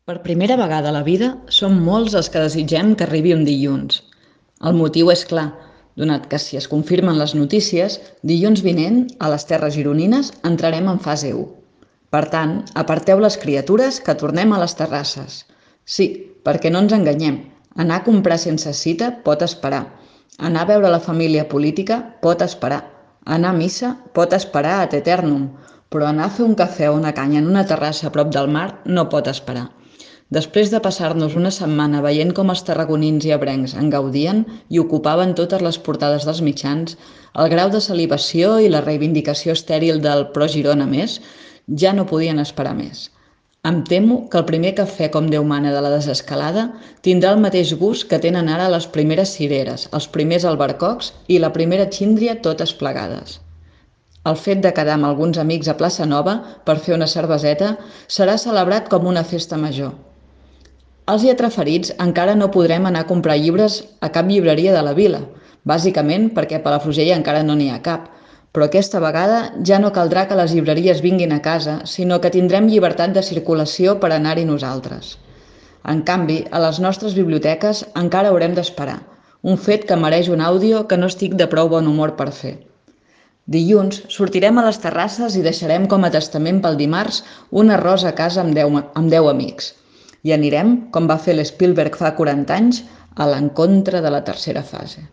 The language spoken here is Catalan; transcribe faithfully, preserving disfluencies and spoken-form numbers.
Per primera vegada a la vida, som molts els que desitgem que arribi un dilluns. El motiu és clar, donat que si es confirmen les notícies, dilluns vinent, a les terres gironines, entrarem en fase u. Per tant, aparteu les criatures que tornem a les terrasses. Sí, perquè no ens enganyem, anar a comprar sense cita pot esperar. Anar a veure la família política pot esperar. Anar a missa pot esperar ad eternum, però anar a fer un cafè o una canya en una terrassa a prop del mar no pot esperar. Després de passar-nos una setmana veient com els tarragonins i ebrencs en gaudien i ocupaven totes les portades dels mitjans, el grau de salivació i la reivindicació estèril del «Pro Girona més» ja no podien esperar més. Em temo que el primer cafè com Déu mana de la desescalada tindrà el mateix gust que tenen ara les primeres cireres, els primers albercocs i la primera xíndria totes plegades. El fet de quedar amb alguns amics a Plaça Nova per fer una cerveseta serà celebrat com una festa major. Els lletraferits encara no podrem anar a comprar llibres a cap llibreria de la vila, bàsicament perquè a Palafrugell encara no n'hi ha cap, però aquesta vegada ja no caldrà que les llibreries vinguin a casa, sinó que tindrem llibertat de circulació per anar-hi nosaltres. En canvi, a les nostres biblioteques encara haurem d'esperar, un fet que mereix un àudio que no estic de prou bon humor per fer. Dilluns sortirem a les terrasses i deixarem com a testament pel dimarts un arròs a casa amb deu, amb deu amics. I anirem, com va fer l'Spielberg fa quaranta anys, a l'encontre de la tercera fase.